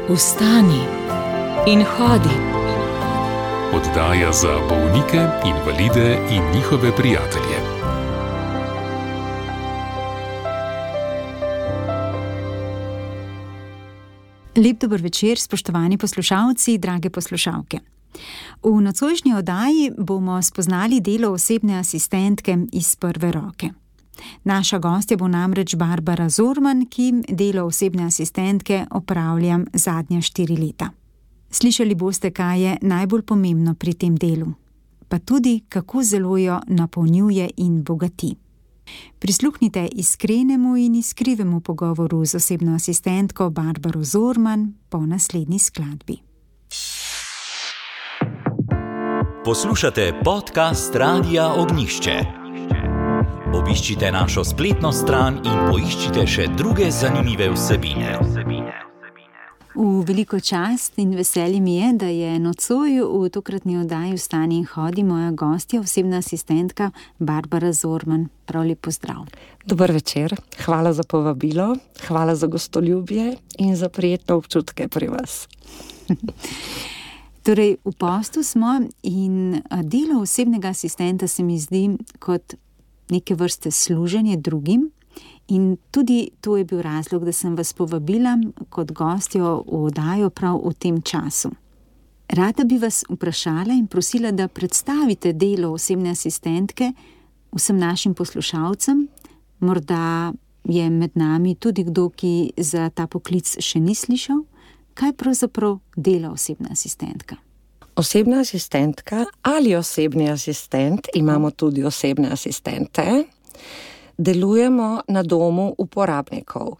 Vstani in hodi. Oddaja za bolnike, invalide in njihove prijatelje. Lep dober večer, spoštovani poslušalci, drage poslušalke. V nocojšnji oddaji bomo spoznali delo osebne asistentke iz prve roke. Naša gostja bo namreč Barbara Zorman, ki delo osebne asistentke opravlja zadnja 4 leta. Slišali boste, kaj je najbolj pomembno pri tem delu, pa tudi, kako zelo jo napolnjuje in bogati. Prisluhnite iskrenemu in iskrivemu pogovoru z osebno asistentko Barbaro Zorman po naslednji skladbi. Poslušate podcast Radia Ognjišče. Obiščite našo spletno stran in poiščite še druge zanimive vsebine. V veliko čast in veselje mi je, da je nocoj v tokratni oddaji Vstani in hodi moja gostja, osebna asistentka Barbara Zorman. Prav lep pozdrav. Dober večer, hvala za povabilo, hvala za gostoljubje in za prijetne občutke pri vas. Torej, v postu smo in delo osebnega asistenta se mi zdi kot neke vrste služenje drugim. In tudi to je bil razlog, da sem vas povabila kot gostjo v oddajo prav v tem času. Rada bi vas vprašala in prosila, da predstavite delo osebne asistentke vsem našim poslušalcem. Morda je med nami tudi kdo, ki za ta poklic še ni slišal. Kaj pravzaprav dela osebna asistentka? Osebna asistentka ali osebni asistent, imamo tudi osebne asistente, delujemo na domu uporabnikov.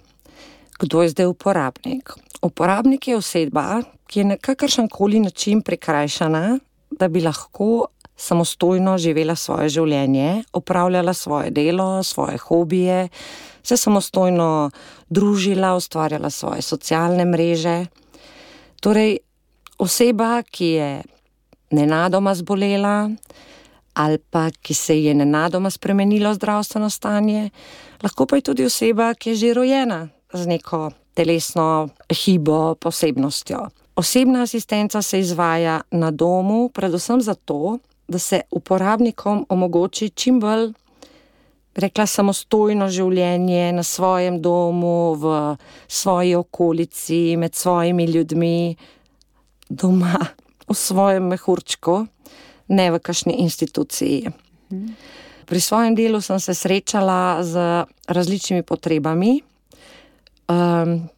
Kdo je zdaj uporabnik? Uporabnik je oseba, ki je na kakršenkoli način prikrajšana, da bi lahko samostojno živela svoje življenje, opravljala svoje delo, svoje hobije, se samostojno družila, ustvarjala svoje socialne mreže. Torej, oseba, ki je nenadoma zbolela, ali pa ki se je nenadoma spremenilo zdravstveno stanje, lahko pa je tudi oseba, ki je že rojena z neko telesno hibo, posebnostjo. Osebna asistenca se izvaja na domu, predvsem zato, da se uporabnikom omogoči čim bolj, samostojno življenje na svojem domu, v svoji okolici, med svojimi ljudmi, doma, v svojem mehurčku, ne v kakšni instituciji. Pri svojem delu sem se srečala z različnimi potrebami.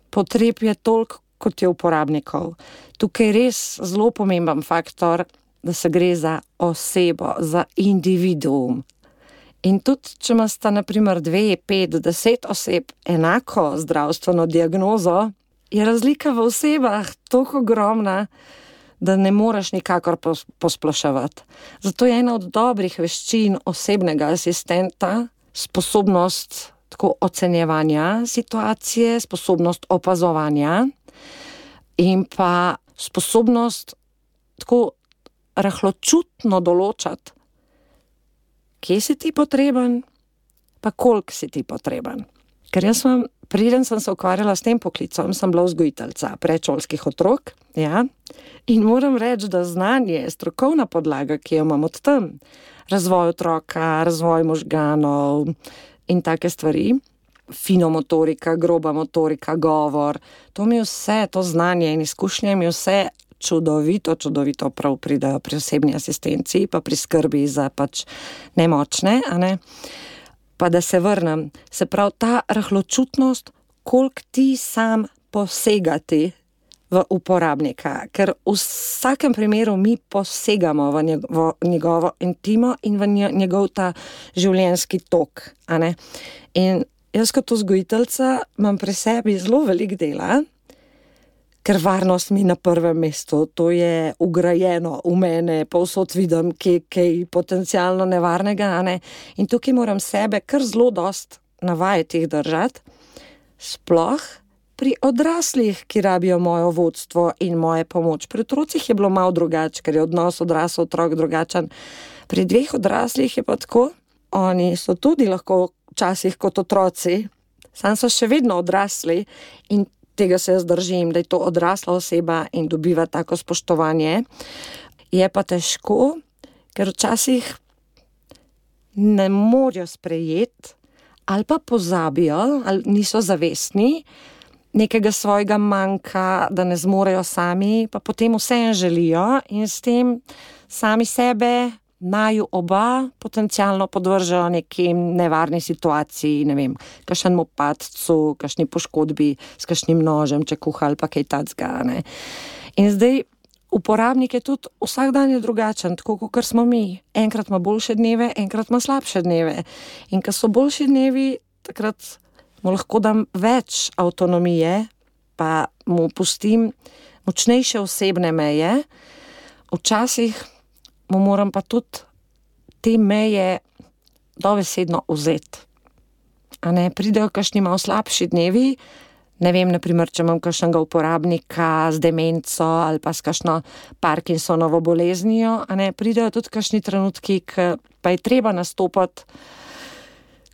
Potreb je toliko, kot je uporabnikov. Tukaj je res zelo pomemben faktor, da se gre za osebo, za individuum. In tudi, če imata na primer 2, 5, 10 oseb enako zdravstveno diagnozo, je razlika v osebah toliko ogromna, da ne moreš nikakor posploševati. Zato je ena od dobrih veščin osebnega asistenta sposobnost tako ocenjevanja situacije, sposobnost opazovanja in pa sposobnost tako rahločutno določati, kje si ti potreben, pa koliko si ti potreben. Ker preden sem se ukvarjala s tem poklicom, sem bila vzgojiteljica predšolskih otrok, ja, in moram reči, da znanje, strokovna podlaga, ki jo imam od tam, razvoj otroka, razvoj možganov in take stvari, finomotorika, groba motorika, govor, to mi vse, to znanje in izkušnje mi vse čudovito prav pridejo pri osebni asistenci, pa pri skrbi za pač nemočne, a ne? Pa da se vrnem, se pravi ta rahločutnost, koliko ti sam posegati v uporabnika, ker v vsakem primeru mi posegamo v njegovo intimo in v njegov ta življenjski tok, a ne. In jaz kot vzgojiteljica imam pri sebi zelo veliko dela, ker varnost mi na prvem mestu, to je ugrajeno v mene, povsod vidim kaj potencialno nevarnega, a ne. In tukaj moram sebe kar zelo dost navajati jih držati, sploh pri odraslih, ki rabijo mojo vodstvo in moje pomoč. Pri otrocih je bilo malo drugače, ker je odnos odrasel otrok drugačen. Pri 2 odraslih je pa tako, oni so tudi lahko včasih kot otroci, samo so še vedno odrasli in tega se jaz držim, da je to odrasla oseba in dobiva tako spoštovanje. Je pa težko, ker včasih ne morajo sprejeti ali pa pozabijo, ali niso zavestni nekega svojega manjka, da ne zmorejo sami, pa potem vseeno želijo in s tem sami sebe naju oba potencialno podvržajo nekim nevarni situaciji, ne vem, kakšnemu padcu, kakšni poškodbi s kakšnim nožem, če kuha ali pa kaj tacga, ne. In zdaj uporabnik je tudi vsak dan je drugačen, tako kot smo mi. Enkrat ima boljše dneve, enkrat ima slabše dneve. In ko so boljši dnevi, takrat mu lahko dam več avtonomije, pa mu pustim močnejše osebne meje. Včasih mu moram pa tudi te meje dobesedno vzeti. A ne, pridejo kakšni malo slabši dnevi, ne vem, naprimer, če imam kakšnega uporabnika z demenco ali pa s kakšno Parkinsonovo boleznijo, a ne, pridejo tudi kakšni trenutki, pa je treba nastopati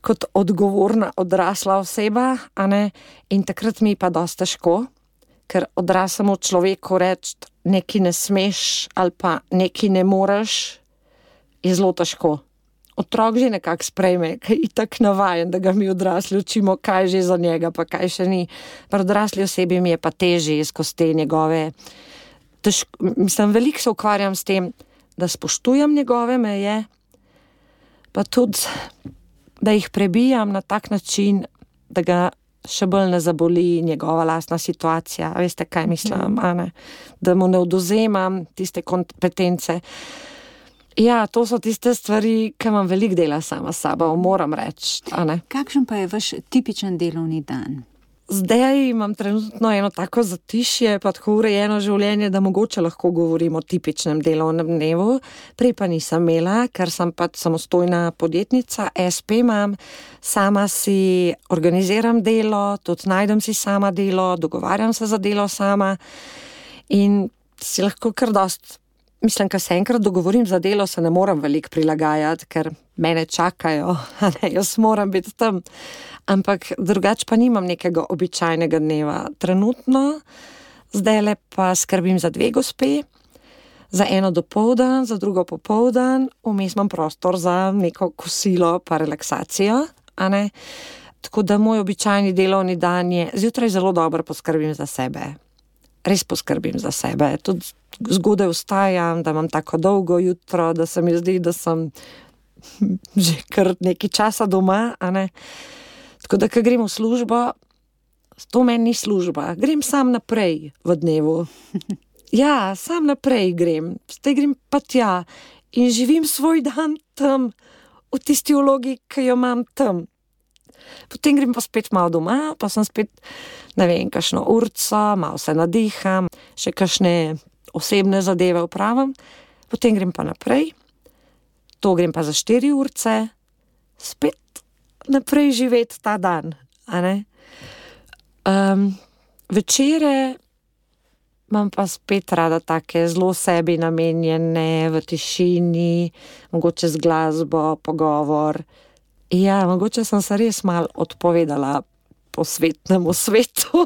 kot odgovorna odrasla oseba, a ne, in takrat mi pa dosti težko, ker odraslemu človeku reči, nekaj ne smeš ali pa nekaj ne moreš, je zelo težko. Otrok že nekako sprejme, ker je itak navajen, da ga mi odrasli učimo, kaj že za njega, pa kaj še ni. Pri odrasli osebi mi je pa težje skozi te njegove... veliko se ukvarjam s tem, da spoštujem njegove meje, pa tudi, da jih prebijam na tak način, da ga še bolj ne zaboli njegova lastna situacija. Veste, kaj mislim, a ne? Da mu ne odvzemam tiste kompetence. Ja, to so tiste stvari, ki imam veliko dela sama s sabo, moram reči, a ne. Kakšen pa je vaš tipičen delovni dan? Zdaj imam trenutno eno tako zatišje, pa tako urejeno življenje, da mogoče lahko govorim o tipičnem delovnem dnevu. Prej pa nisem imela, ker sem pač samostojna podjetnica, SP imam, sama si organiziram delo, tudi najdem si sama delo, dogovarjam se za delo sama in si lahko kar dost. Mislim, ko se enkrat dogovorim za delo, se ne moram veliko prilagajati, ker mene čakajo, a ne, jaz moram biti tam. Ampak drugače pa nimam nekega običajnega dneva. Trenutno, zdajle pa skrbim za 2 gospe, za eno dopoldan, za drugo popoldan, vmes imam prostor za neko kosilo pa relaksacijo, a ne. Tako da moj običajni delovni dan je, zjutraj zelo dobro poskrbim za sebe. Res poskrbim za sebe. Tudi zgodaj vstajam, da imam tako dolgo jutro, da se mi zdi, da sem že kar nekaj časa doma, a ne. Tako da, ko grem v službo, to meni ni služba. Grem sam naprej v dnevu. Ja, sam naprej grem. Zdaj grem pa tja in živim svoj dan tam, v tisti vlogi, ki jo imam tam. Potem grem pa spet malo doma, pa sem spet, ne vem, kakšno urco, malo se nadiham, še kakšne osebne zadeve opravim, potem grem pa naprej, to grem pa za 4 urce, spet naprej živeti ta dan, a ne. Večere imam pa spet rada take zelo sebi namenjene, v tišini, mogoče z glasbo, pogovor. Ja, mogoče sem se res malo odpovedala po svetnemu svetu.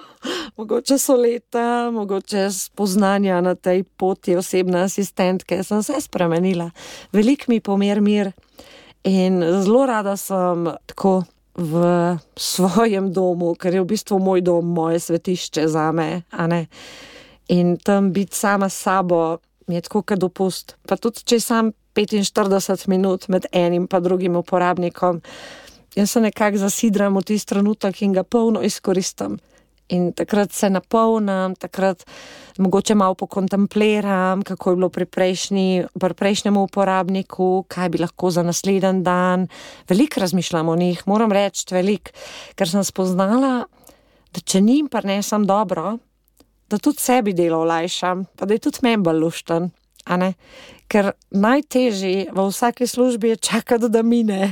Mogoče so leta, mogoče spoznanja na tej poti osebne asistentke. Sem se spremenila. Veliko mi pomer mir in zelo rada sem tako v svojem domu, ker je v bistvu moj dom, moje svetišče zame, a ne. In tam biti sama s sabo mi je tako kot dopust. Pa tudi, če sam 45 minut med enim pa drugim uporabnikom, jaz se nekako zasidram v tisti trenutek in ga polno izkoristim. In takrat se napolnim, takrat mogoče malo pokontempliram, kako je bilo pri prejšnjemu uporabniku, kaj bi lahko za naslednji dan. Veliko razmišljam o njih, moram reči veliko, ker sem spoznala, da če njim prinesem dobro, da tudi sebi delo olajšam, pa da je tudi meni bolj lušten, a ne. Ker najtežje v vsaki službi je čakati, da mine.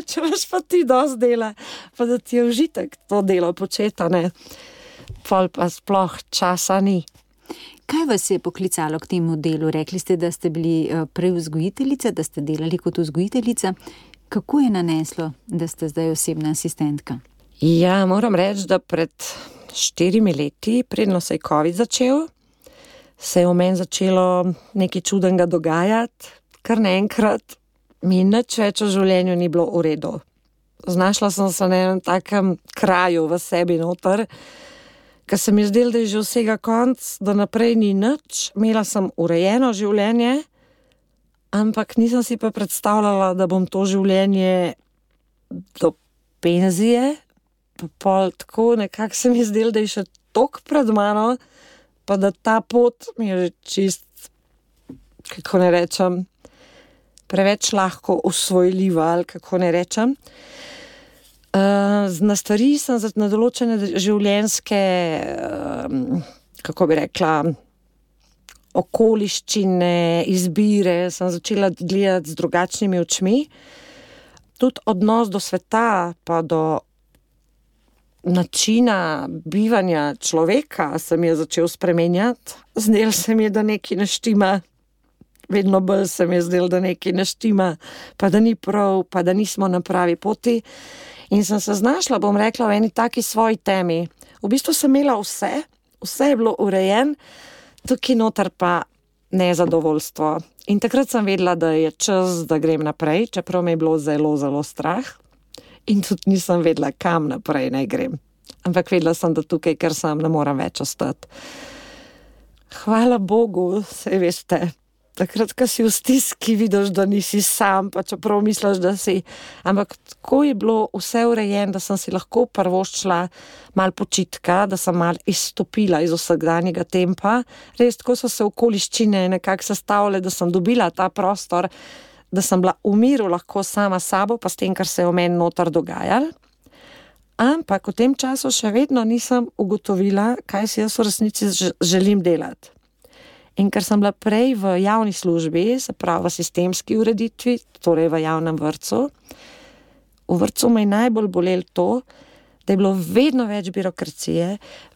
Če imaš pa ti dosti dela, pa da ti je užitek to delo početi, a ne. Pol pa sploh časa ni. Kaj vas je poklicalo k temu delu? Rekli ste, da ste bili prej vzgojiteljica, da ste delali kot vzgojiteljica. Kako je naneslo, da ste zdaj osebna asistentka? Ja, moram reči, da pred 4 leti, predno se je COVID začel, se je v meni začelo nekaj čudenega dogajati, kar naenkrat mi nič več v življenju ni bilo v redu. Znašla sem se na enem takem kraju v sebi noter, ker se mi je zdelo, da je že vsega konc, da naprej ni nič, imela sem urejeno življenje, ampak nisem si pa predstavljala, da bom to življenje do penzije, pol tako nekako se mi je zdelo, da je še toliko pred mano, pa da ta pot mi je že čist, kako ne rečem, preveč lahko usvojljiva, ali kako ne rečem. Na stvari sem na določene življenjske, kako bi rekla, okoliščine, izbire, sem začela gledati z drugačnimi očmi. Tudi odnos do sveta, pa do načina bivanja človeka se mi je začel spremenjati. Zdelo se mi je, da nekaj ne štima. Vedno bolj se mi je zdelo, da nekaj ne štima, pa da ni prav, pa da nismo na pravi poti. In sem se znašla, bom rekla, v eni taki svoji temi. V bistvu sem imela vse je bilo urejen, tukaj noter pa nezadovoljstvo. In takrat sem vedela, da je čas, da grem naprej, čeprav me je bilo zelo, zelo strah. In tudi nisem vedela, kam naprej naj grem. Ampak vedela sem, da tukaj, ker sem, ne moram več ostati. Hvala Bogu, saj veste, takrat, ko si v stiski, vidiš, da nisi sam, pa čeprav misliš, da si. Ampak tako je bilo vse urejeno, da sem si lahko prvoščila malo počitka, da sem malo izstopila iz vsakdanjega tempa. Res, tako so se okoliščine nekako sestavile, da sem dobila ta prostor, da sem bila v miru lahko sama s sabo, pa s tem, kar se je v meni noter dogajalo. Ampak v tem času še vedno nisem ugotovila, kaj si jaz v resnici želim delati. In ker sem bila prej v javni službi, se pravi v sistemski ureditvi, torej v javnem vrtcu, v vrtcu me je najbolj bolelo to, da je bilo vedno več birokracije,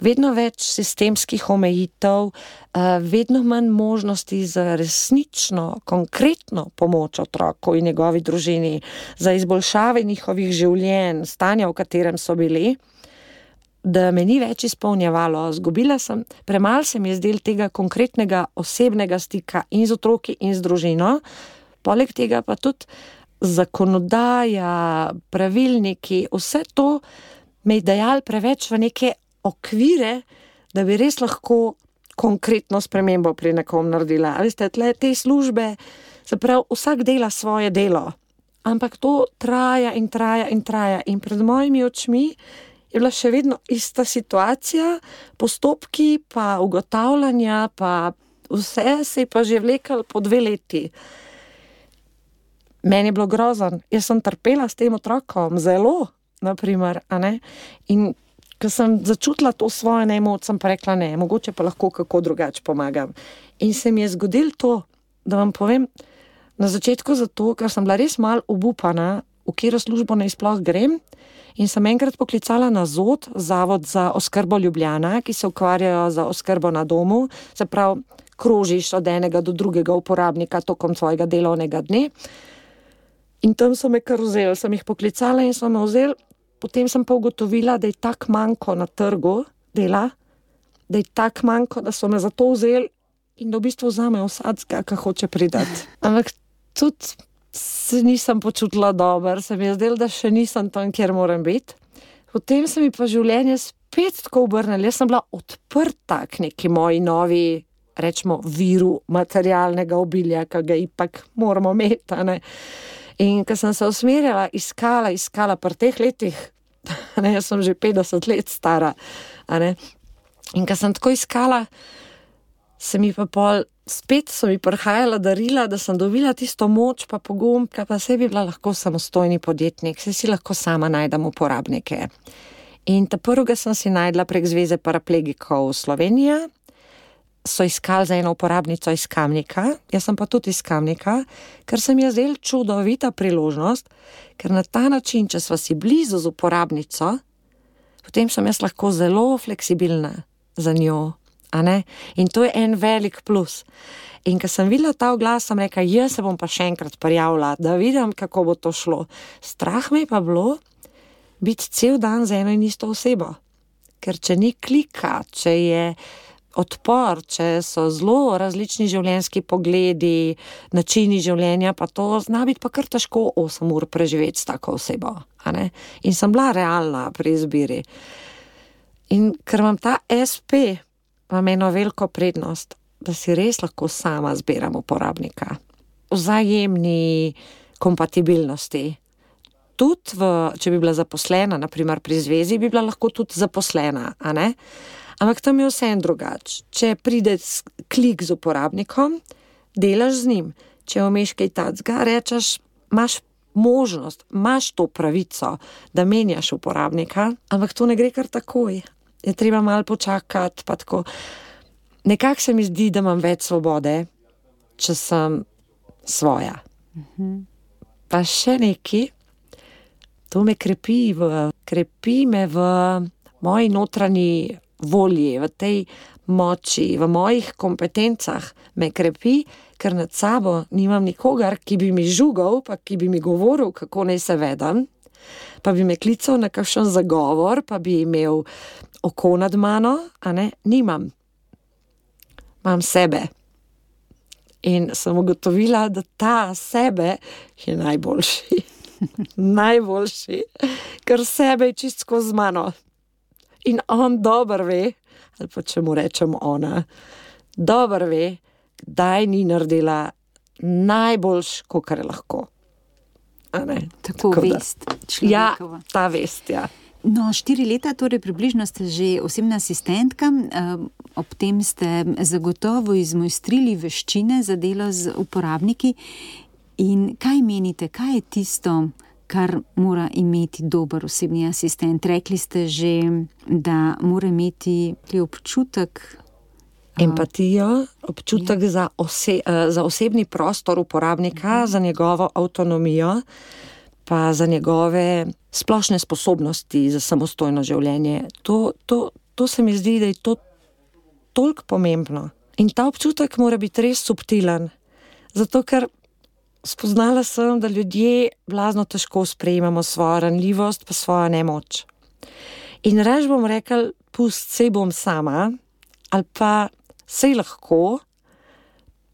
vedno več sistemskih omejitev, vedno manj možnosti za resnično, konkretno pomoč otroku in njegovi družini, za izboljšave njihovih življenj, stanja, v katerem so bili, da me ni več izpolnjevalo. Zgubila sem, premalo se mi je zdelo tega konkretnega osebnega stika in z otroki in z družino, poleg tega pa tudi zakonodaja, pravilniki, vse to me je dajalo preveč v neke okvire, da bi res lahko konkretno spremembo pri nekom naredila. A veste, te službe, se pravi, vsak dela svoje delo, ampak to traja in traja in traja in pred mojimi očmi je bila še vedno ista situacija, postopki pa ugotavljanja, pa vse se je pa že vlekalo po 2 leti. Meni je bilo grozen, jaz sem trpela s tem otrokom, zelo, naprimer, a ne? In ko sem začutila to svojo nemoč, sem pa rekla ne, mogoče pa lahko kako drugače pomagam. In se mi je zgodilo to, da vam povem, na začetku zato, ker sem bila res malo obupana, v katero službo naj sploh grem, in sem enkrat poklicala na ZOD, Zavod za oskrbo Ljubljana, ki se ukvarjajo za oskrbo na domu, se pravi, krožiš od enega do drugega uporabnika tokom svojega delovnega dne. In tam so me kar vzeli, sem jih poklicala in so me vzeli, potem sem pa ugotovila, da je tak manjko na trgu dela, da je tak manjko, da so me zato vzeli in da v bistvu vzamejo vsakega, ki hoče pridati. Ampak tudi se nisem počutila dobro, se mi je zdelo, da še nisem tam, kjer moram biti. Potem se mi pa življenje spet tako obrnilo, jaz sem bila odprta k neki moji novi, rečemo, viru materialnega obilja, ki ga ipak moramo imeti, ne. In ko sem se usmerjala, iskala pri teh letih, ne, jaz sem že 50 let stara, ne. In ko sem tako iskala, se mi pa spet so mi prihajala darila, da sem dobila tisto moč pa pogum, pa se bi bila lahko samostojni podjetnik, se si lahko sama najdem uporabnike. In prvega sem si najdla prek Zveze paraplegikov Slovenija, so iskali za eno uporabnico iz Kamnika, jaz sem pa tudi iz Kamnika, ker se mi je zdela čudovita priložnost, ker na ta način, če sva si blizu z uporabnico, potem sem jaz lahko zelo fleksibilna za njo. A ne? In to je en velik plus. In ko sem videla ta oglas, sem rekla, jaz se bom pa še enkrat prijavila, da vidim, kako bo to šlo. Strah me je pa bilo biti cel dan z eno in isto osebo. ker če ni klika, če je odpor, če so zelo različni življenjski pogledi, načini življenja, pa to zna biti pa kar težko 8 ur preživeti s tako osebo. A ne? In sem bila realna pri izbiri. In ker imam ta SP, imam eno veliko prednost, da si res lahko sama zbiram uporabnika. Vzajemni kompatibilnosti. Tudi, če bi bila zaposlena, naprimer pri zvezi, bi bila lahko tudi zaposlena, a ne? Ampak tam je vse drugače. Če pride klik z uporabnikom, delaš z njim. Če vmeš kaj tacga, rečeš, imaš možnost, imaš to pravico, da menjaš uporabnika, ampak to ne gre kar takoj. Je treba malo počakati, pa tako. Nekako se mi zdi, da imam več svobode, če sem svoja. Pa še nekaj, to me krepi me v moji notranji volji, v tej moči, v mojih kompetencah me krepi, ker nad sabo nimam nikogar, ki bi mi žugal, pa ki bi mi govoril, kako naj se vedem, pa bi me klical na kakšen zagovor, pa bi imel oko nad mano, a ne, nimam. Imam sebe. In sem ugotovila, da ta sebe je najboljši. Najboljši, ker sebe je čistko z mano. In on dobro ve, ali pa če mu rečem ona, dobro ve, kdaj ni naredila najboljš, kakor je lahko. A ne? Tako vest človekova. Ja, ta vest, ja. No, 4 leta, torej približno ste že osebna asistentka, ob tem ste zagotovo izmojstrili veščine za delo z uporabniki. In kaj menite, kaj je tisto, kar mora imeti dober osebni asistent? Rekli ste že, da mora imeti občutek... Empatijo, občutek za osebni prostor uporabnika, za njegovo avtonomijo, pa za njegove splošne sposobnosti za samostojno življenje. To se mi zdi, da je to toliko pomembno. In ta občutek mora biti res subtilen. Zato, ker spoznala sem, da ljudje blazno težko sprejemamo svojo ranljivost pa svojo nemoč. In reč bom rekel, pust, sej bom sama, ali pa sej lahko,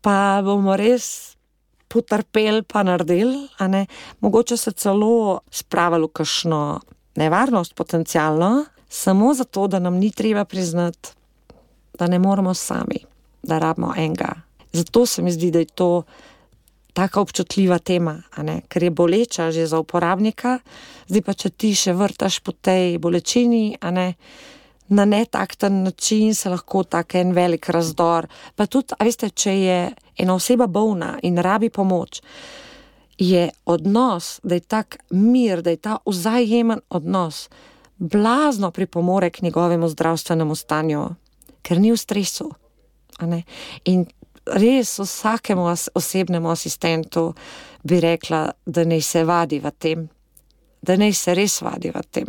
pa bomo res potrpeli pa naredili, a ne, mogoče se celo spravili v kakšno nevarnost potencialno, samo zato, da nam ni treba priznati, da ne moramo sami, da rabimo enega. Zato se mi zdi, da je to taka občutljiva tema, a ne, ker je boleča že za uporabnika, zdaj pa če ti še vrtaš po tej bolečini, a ne, na netakten način se lahko tak en velik razdor. Pa tudi, a veste, če je ena oseba bolna in rabi pomoč, je odnos, da je tak mir, da je ta vzajemen odnos, blazno pripomore k njegovemu zdravstvenemu stanju, ker ni v stresu, a ne. In res vsakemu osebnemu asistentu bi rekla, da naj se vadi v tem, da naj se res vadi v tem.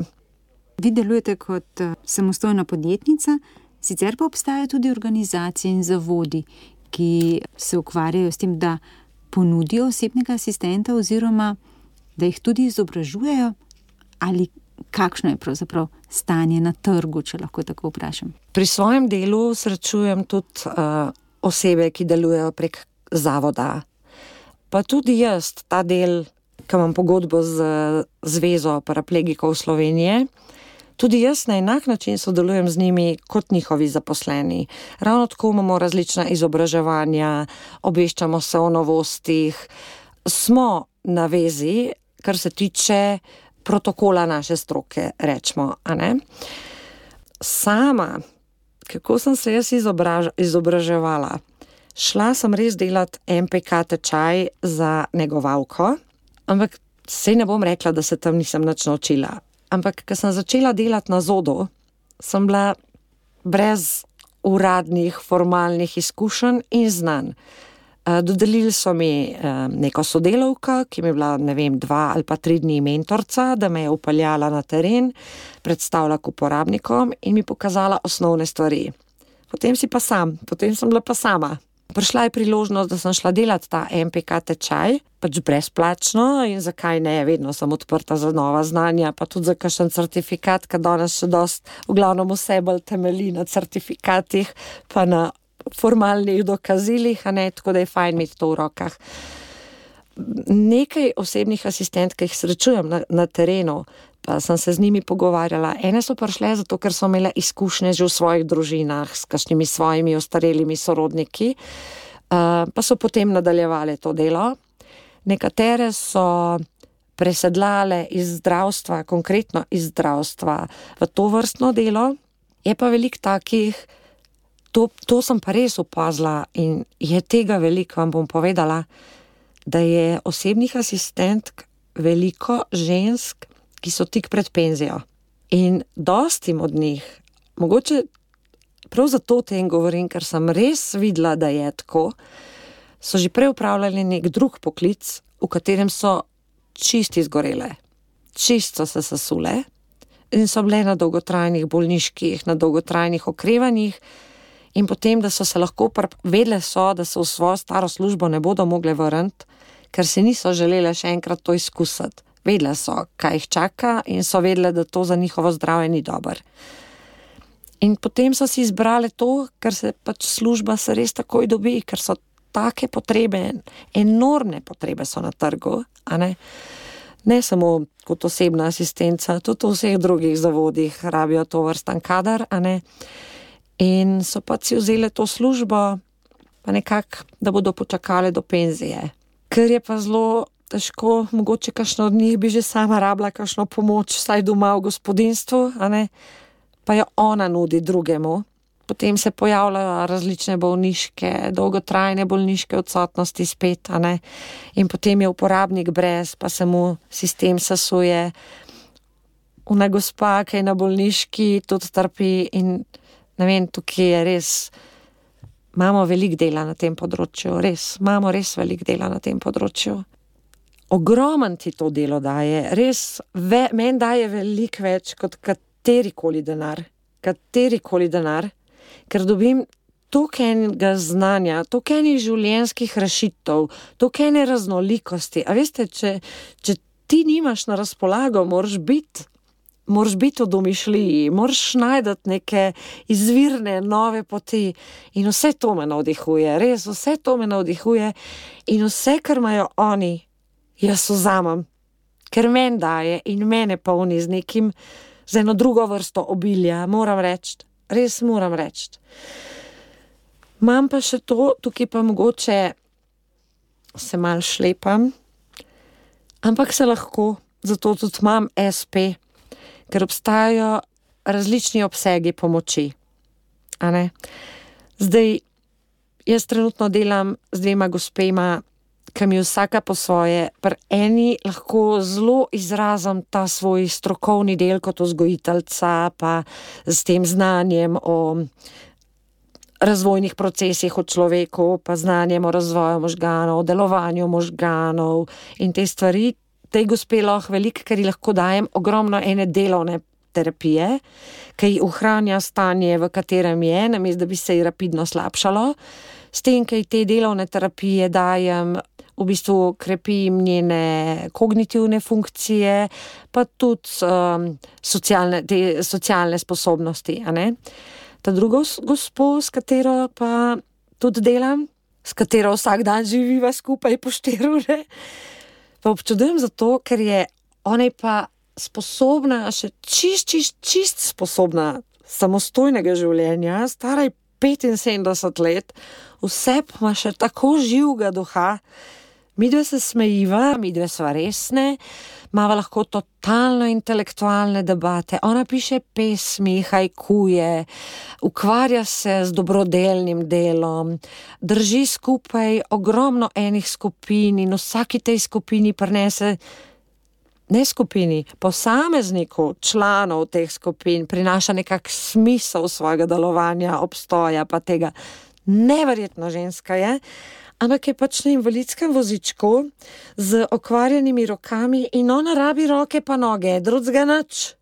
Vi delujete kot samostojna podjetnica, sicer pa obstajajo tudi organizacije in zavodi, ki se ukvarjajo s tem, da ponudijo osebnega asistenta oziroma da jih tudi izobražujejo, ali kakšno je pravzaprav stanje na trgu, če lahko tako vprašam. Pri svojem delu srečujem tudi osebe, ki delujejo prek zavoda. Pa tudi jaz, ta del, ki imam pogodbo z Zvezo paraplegikov Slovenije, tudi jaz na enak način sodelujem z njimi kot njihovi zaposleni. Ravno tako imamo različna izobraževanja, obveščamo se o novostih, smo na vezi, kar se tiče protokola naše stroke, rečemo, a ne. Sama, kako sem se jaz izobraževala? Šla sem res delati MPK tečaj za negovalko, ampak sej ne bom rekla, da se tam nisem nič naučila. Ampak, ko sem začela delati na ZODO, sem bila brez uradnih, formalnih izkušenj in znanj. Dodelili so mi neko sodelavko, ki mi je bila, ne vem, 2 ali pa 3 dni mentorca, da me je upeljala na teren, predstavila k uporabnikom in mi pokazala osnovne stvari. Potem sem bila pa sama. prišla je priložnost, da sem šla delati ta MPK tečaj, pač brezplačno in zakaj ne, vedno sem odprta za nova znanja, pa tudi za kakšen certifikat, ker danes še dost v glavnem vse bolj temelji na certifikatih, pa na formalnih dokazilih, a ne, tako da je fajn imeti to v rokah. Nekaj osebnih asistentk, ki jih srečujem na terenu, pa sem se z njimi pogovarjala. Ene so prišle zato, ker so imele izkušnje že v svojih družinah s kakšnimi svojimi ostarelimi sorodniki, pa so potem nadaljevale to delo. Nekatere so presedlale iz zdravstva, konkretno iz zdravstva, v to vrstno delo. Je pa veliko takih, to sem pa res opazila in je tega veliko, vam bom povedala, da je osebnih asistentk veliko žensk, ki so tik pred penzijo. In dostim od njih, mogoče prav zato o tem govorim, ker sem res videla, da je tako, so že prej upravljali nek drug poklic, v katerem so čisto izgorele, čisto so se sesule in so bile na dolgotrajnih bolniških, na dolgotrajnih okrevanjih in potem, da so se lahko vedele so, da se v svojo staro službo ne bodo mogle vrniti, ker se niso želele še enkrat to izkusiti. Vedele so, kaj jih čaka in so vedele, da to za njihovo zdravje ni dobro. In potem so si izbrali to, ker se pač služba se res takoj dobi, ker so take potrebe, enormne potrebe so na trgu, a ne? Ne samo kot osebna asistenca, tudi v vseh drugih zavodih rabijo to vrstan kadar, a ne? In so pa si vzeli to službo, pa nekako, da bodo počakali do penzije. Ker je pa zelo težko, mogoče kakšno od njih bi že sama rabila kakšno pomoč, vsaj doma v gospodinstvu, a ne? Pa jo ona nudi drugemu. Potem se pojavljajo različne bolniške, dolgotrajne bolniške odsotnosti spet, a ne? In potem je uporabnik brez, pa se mu sistem sesuje. Ona gospa, ki je na bolniški, tudi trpi in ne vem, tukaj je res, imamo veliko dela na tem področju, imamo res veliko dela na tem področju. Ogromen ti to delo daje, res, meni daje veliko več kot katerikoli denar, ker dobim toliko enega znanja, toliko enih življenjskih rešitev, toliko ene raznolikosti. A veste, če ti nimaš na razpolago, moraš biti v domišljiji, moraš najdati neke izvirne, nove poti in vse to me navdihuje, res, vse to me navdihuje in vse, kar imajo oni, jaz vzamem, ker meni daje in mene polni z nekim, z eno drugo vrsto obilja, moram reči, res moram reči. Imam pa še to, tukaj pa mogoče se malo šlepam, ampak se lahko, zato tudi imam SP, ker obstajajo različni obsegi pomoči, a ne. Zdaj, jaz trenutno delam z 2 gospema, ki mi vsaka po svoje, pri eni lahko zelo izrazim ta svoj strokovni del kot vzgojiteljica, pa s tem znanjem o razvojnih procesih v človeku, pa znanjem o razvoju možganov, delovanju možganov in te stvari. Tej gospe lahko veliko, ker ji lahko dajem ogromno ene delovne terapije, ki ji ohranja stanje, v katerem je, namesto da bi se ji rapidno slabšalo. S tem, ki ji te delovne terapije dajem, v bistvu krepim njene kognitivne funkcije, pa tudi socialne sposobnosti, a ne. Ta drugo gospo, s katero pa tudi delam, s katero vsak dan živiva skupaj po 4 ure, pa občudujem zato, ker je ona pa sposobna, še čist sposobna samostojnega življenja, stara je 75 let, vse pa ima še tako živega duha. Midve se smejiva, midve sva resne, imava lahko totalno intelektualne debate. Ona piše pesmi, hajkuje, ukvarja se z dobrodelnim delom, drži skupaj ogromno enih skupin in vsaki tej skupini prinese, ne skupini, posamezniku članov teh skupin prinaša nekak smisel svojega delovanja, obstoja pa tega. Neverjetno ženska je, ampak je pač na invalidskem vozičku z okvarjenimi rokami in ona rabi roke pa noge, drugega nič,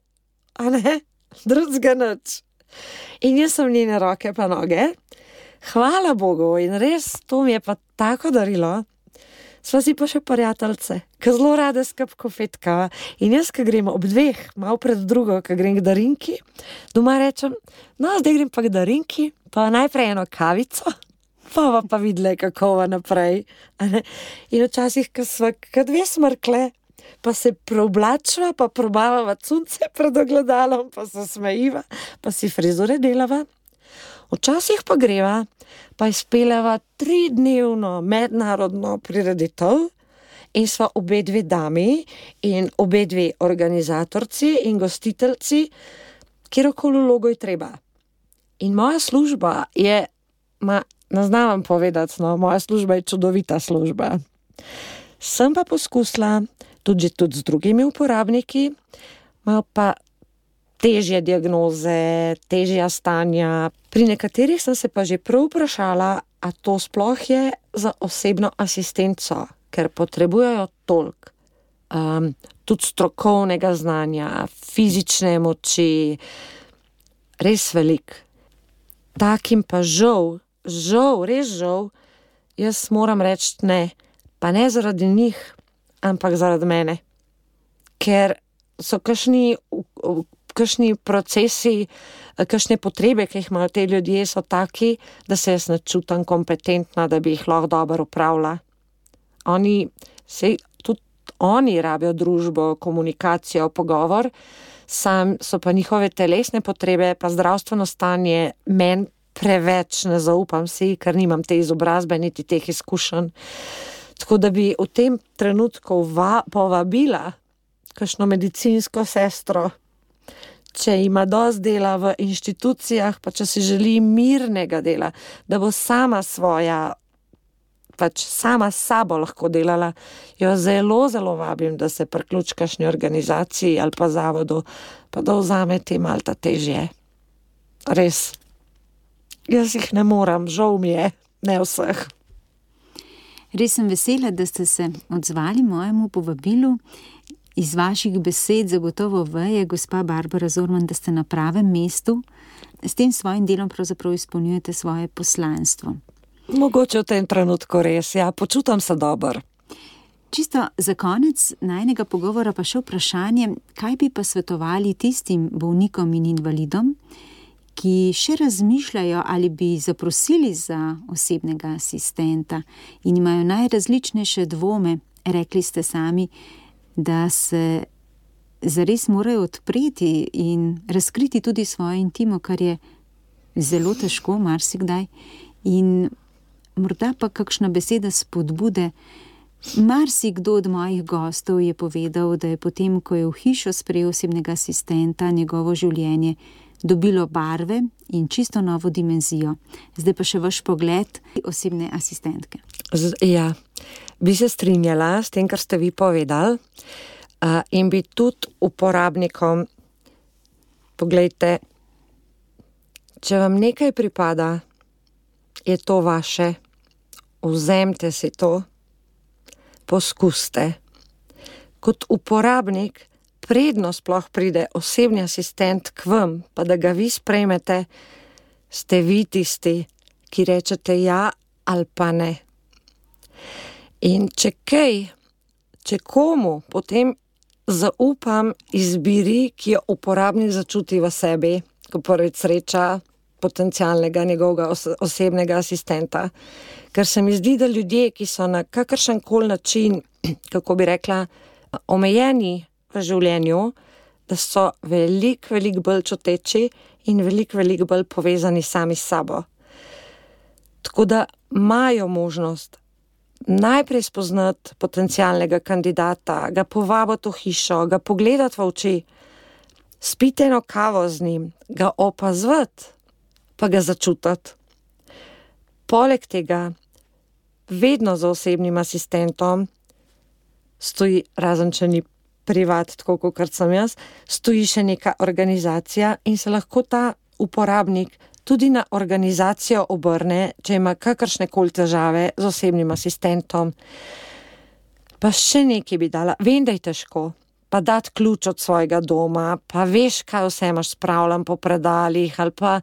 a ne, drugega nič. In jaz sem njene roke pa noge, hvala Bogu, in res to mi je pa tako darilo. Sva si pa še prijateljce, ki zelo rade skup kofetkava. In jaz, ki grem ob 2, malo pred 2, ki grem k Darinki, doma rečem, no, zdaj grem pa k Darinki, pa najprej eno kavico, pa videla, kako va naprej. In včasih, ko sva kot 2 smrkle, pa se preoblačva, pa probavava cunce pred ogledalom, pa se smejiva, pa si frizure delava. Včasih pa greva, pa izpeljava 3-dnevno mednarodno prireditev in sva obe 2 dami in obe 2 organizatorci in gostiteljci, kjerokoli vlogo je treba. In moja služba je, ne znam vam povedati, no, moja služba je čudovita služba. Sem pa poskusila tudi z drugimi uporabniki, malo pa težje diagnoze, težja stanja. Pri nekaterih sem se pa že prav vprašala, a to sploh je za osebno asistenco, ker potrebujejo toliko. Tudi strokovnega znanja, fizične moči, res veliko. Takim pa žal, res žal, jaz moram reči ne, pa ne zaradi njih, ampak zaradi mene. Ker so kakšni procesi, kakšne potrebe, ki jih imajo te ljudje, so taki, da se jaz ne čutim kompetentna, da bi jih lahko dobro upravila. Tudi oni rabijo družbo, komunikacijo, pogovor, sam so pa njihove telesne potrebe, pa zdravstveno stanje meni preveč, ne zaupam si, ker nimam te izobrazbe, niti teh izkušenj. Tako da bi v tem trenutku povabila kakšno medicinsko sestro, če ima dosti dela v inštitucijah, pa če si želi mirnega dela, da bo sama sama s sabo lahko delala, jo zelo, zelo vabim, da se priključi kakšni organizaciji ali pa zavodu, pa da vzame te malta težje. Res. Jaz jih ne moram, žal mi je, ne vseh. Res sem vesela, da ste se odzvali mojemu povabilu. Iz vaših besed zagotovo veje, gospa Barbara Zorman, da ste na pravem mestu. S tem svojim delom pravzaprav izpolnjujete svoje poslanstvo. Mogoče v tem trenutku res, ja, počutam se dobro. Čisto za konec najnega pogovora pa še vprašanje, kaj bi pa svetovali tistim bolnikom in invalidom, ki še razmišljajo ali bi zaprosili za osebnega asistenta in imajo najrazličnejše dvome. Rekli ste sami, da se zares morajo odpreti in razkriti tudi svojo intimo, kar je zelo težko marsikdaj. In morda pa kakšna beseda spodbude. Marsikdo od mojih gostov je povedal, da je potem, ko je v hišo sprejel osebnega asistenta, njegovo življenje dobilo barve in čisto novo dimenzijo. Zdaj pa še vaš pogled osebne asistentke. Ja, bi se strinjala s tem, kar ste vi povedali, in bi tudi uporabnikom, poglejte, če vam nekaj pripada, je to vaše, vzemite si to, poskuste. Kot uporabnik, predno sploh pride osebni asistent k vam, pa da ga vi sprejmete, ste vi tisti, ki rečete ja ali pa ne. In če komu potem zaupam izbiri, ki jo uporabnik začuti v sebi, ko prvič sreča potencialnega njegovega osebnega asistenta. Ker se mi zdi, da ljudje, ki so na kakršenkoli način, kako bi rekla, omejeni v življenju, da so veliko bolj čuteči in veliko bolj povezani sami s sabo. Tako da imajo možnost najprej spoznati potencialnega kandidata, ga povabiti v hišo, ga pogledati v oči, spiti eno kavo z njim, ga opazovati, pa ga začutiti. Poleg tega, vedno za osebnim asistentom stoji, razen če ni privat, tako kot sem jaz, stoji še neka organizacija in se lahko ta uporabnik tudi na organizacijo obrne, če ima kakršnekoli težave z osebnim asistentom. Pa še nekaj bi dala. Vem, da je težko. pa dati ključ od svojega doma, pa veš, kaj vse imaš spravljen po predalih, ali pa,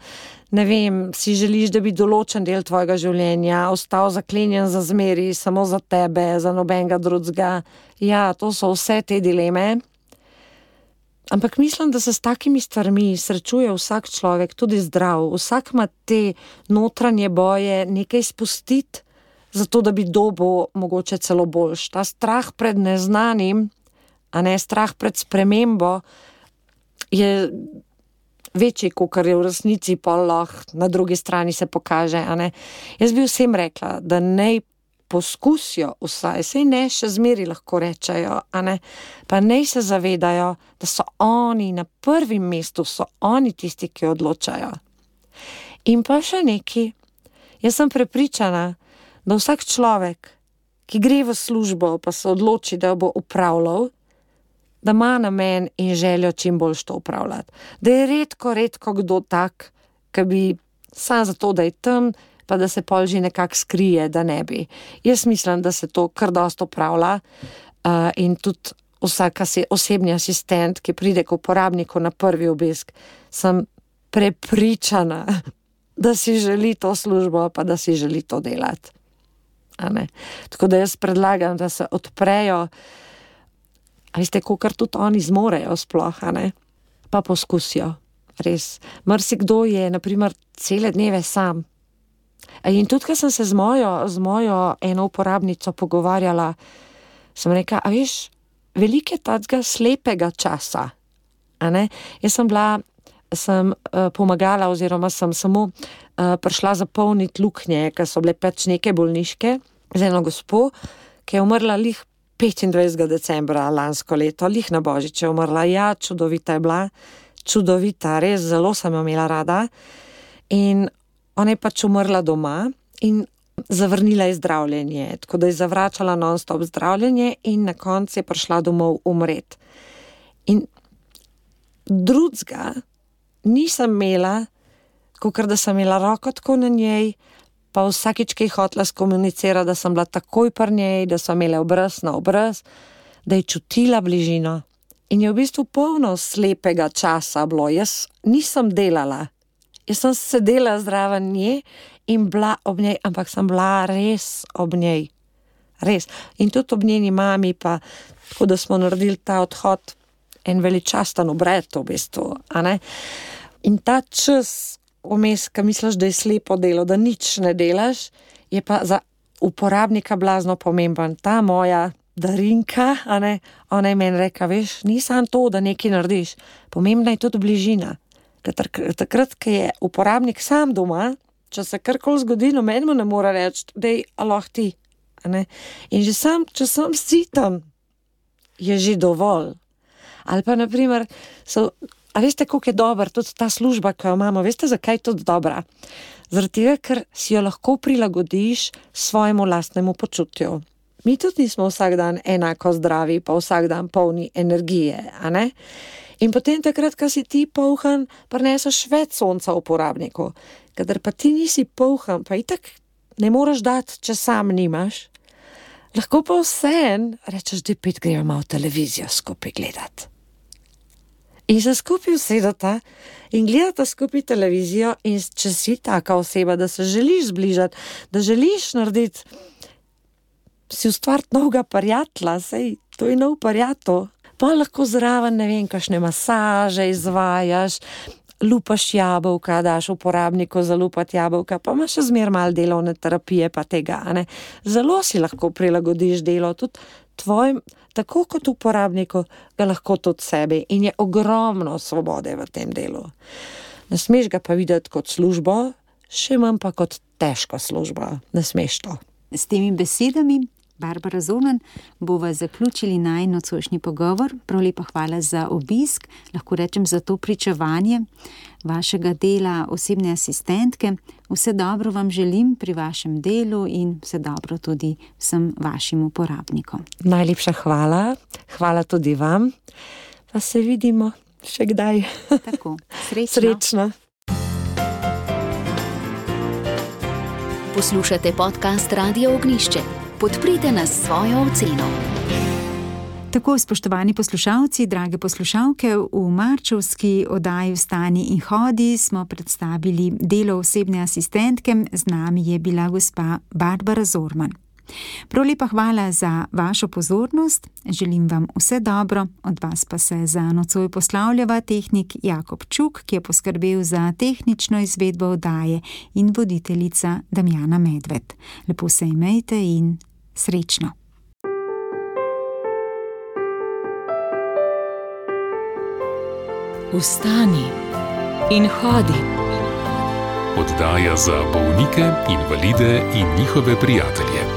ne vem, si želiš, da bi določen del tvojega življenja ostal zaklenjen za zmeri, samo za tebe, za nobenega drugega. Ja, to so vse te dileme. Ampak mislim, da se s takimi stvarmi srečuje vsak človek, tudi zdrav. Vsak ima te notranje boje nekaj spustiti, zato da bi dobil mogoče celo boljš. Ta strah pred neznanim, a ne strah pred spremembo, je večji, kakor je v resnici pol lahko na drugi strani se pokaže, a ne. Jaz bi vsem rekla, da naj poskusijo vsaj, saj ne še zmeri lahko rečejo, a ne, pa naj se zavedajo, da so oni na prvem mestu, so oni tisti, ki odločajo. In pa še neki, jaz sem prepričana, da vsak človek, ki gre v službo, pa se odloči, da bo upravljal, da ima namen in željo čim bolj to upravljati. Da je redko kdo tak, ki bi sam zato, da je tam, pa da se pol že nekako skrije, da ne bi. Jaz mislim, da se to kar dosti upravlja in tudi vsak osebni asistent, ki pride k uporabniku na prvi obisk, sem prepričana, da si želi to službo, pa da si želi to delati. A ne? Tako da jaz predlagam, da se odprejo, a veste, kakor tudi oni zmorejo sploh, a ne? Pa poskusijo, res. Marsikdo je, na primer, cele dneve sam. In tudi, ko sem se z mojo eno uporabnico pogovarjala, sem rekla, a veš, veliko je tega slepega časa, a ne? Jaz sem pomagala oziroma sem samo prišla zapolniti luknje, ker so bile pač neke bolniške, z eno gospo, ki je umrla lih 25. decembra lansko leto, lih na Božič je umrla. Ja, čudovita je bila, čudovita, res zelo sem jo imela rada. In ona je pač umrla doma in zavrnila je zdravljenje, tako da je zavračala non-stop zdravljenje in na koncu je prišla domov umret. In drugega nisem imela, kakor da sem imela roko tako na njej, pa vsakič, ki je hotela skomunicirati, da sem bila takoj pri njej, da so imele obraz na obraz, da je čutila bližino. In je v bistvu polno slepega časa bilo. Jaz nisem delala. Jaz sem sedela zraven nje in bila ob njej, ampak sem bila res ob njej. Res. In tudi ob njeni mami, pa tako da smo naredili ta odhod, en veličasten obred v bistvu, a ne? In ta čas vmes, ko misliš, da je slepo delo, da nič ne delaš, je pa za uporabnika blazno pomemben. Ta moja Darinka, a ne, ona je meni rekla, veš, ni samo to, da nekaj narediš, pomembna je tudi bližina. Takrat, ko je uporabnik sam doma, če se karkoli zgodi, noben mu ne more reči, dej, aloh ti, a ne. In že sam, če sem sitan, je že dovolj. Ali pa, na primer, a veste, koliko je dobra tudi ta služba, ki jo imamo, veste, zakaj je tudi dobra? Zaradi tega, ker si jo lahko prilagodiš svojemu lastnemu počutju. Mi tudi nismo vsak dan enako zdravi, pa vsak dan polni energije, a ne? In potem takrat, ko si ti polhan, prineseš več sonca uporabniku. Kadar pa ti nisi polhan, pa itak ne moreš dati, če sam nimaš, lahko pa vseeno rečeš, da pet gremo malo televizijo skupaj gledati. In se skupaj usedata in gledata skupaj televizijo in če si taka oseba, da se želiš zbližati, da želiš narediti, si ustvariti novega prijatelja, sej to je nov prijatelj, pa lahko zraven, ne vem, kakšne masaže izvajaš, lupaš jabolka, daš uporabniku zalupati jabolka, pa imaš še zmer malo delovne terapije pa tega, a ne. Zelo si lahko prilagodiš delo, tudi tvojim, tako kot uporabniku, ga lahko tudi sebi in je ogromno svobode v tem delu. Ne smeš ga pa videti kot službo, še manj pa kot težko službo. Ne smeš to. S temi besedami, Barbara Zorman, bova zaključili najin nocojšnji pogovor. Prav lepa hvala za obisk, lahko rečem za to pričevanje vašega dela osebne asistentke. Vse dobro vam želim pri vašem delu in vse dobro tudi vsem vašim uporabnikom. Najlepša hvala, hvala tudi vam, pa se vidimo še kdaj. Tako, srečno. Srečno. Poslušate podcast Radia Ognišče. Podprite nas s svojo oceno. Tako, spoštovani poslušalci, drage poslušalke, v marčevski oddaji Vstani in hodi smo predstavili delo osebne asistentke, z nami je bila gospa Barbara Zorman. Prav lepa hvala za vašo pozornost, želim vam vse dobro, od vas pa se za nocoj poslavljava tehnik Jakob Čuk, ki je poskrbel za tehnično izvedbo oddaje, in voditeljica Damjana Medved. Lepo se imejte in srečno. Vstani in hodi. Oddaja za bolnike, invalide in njihove prijatelje.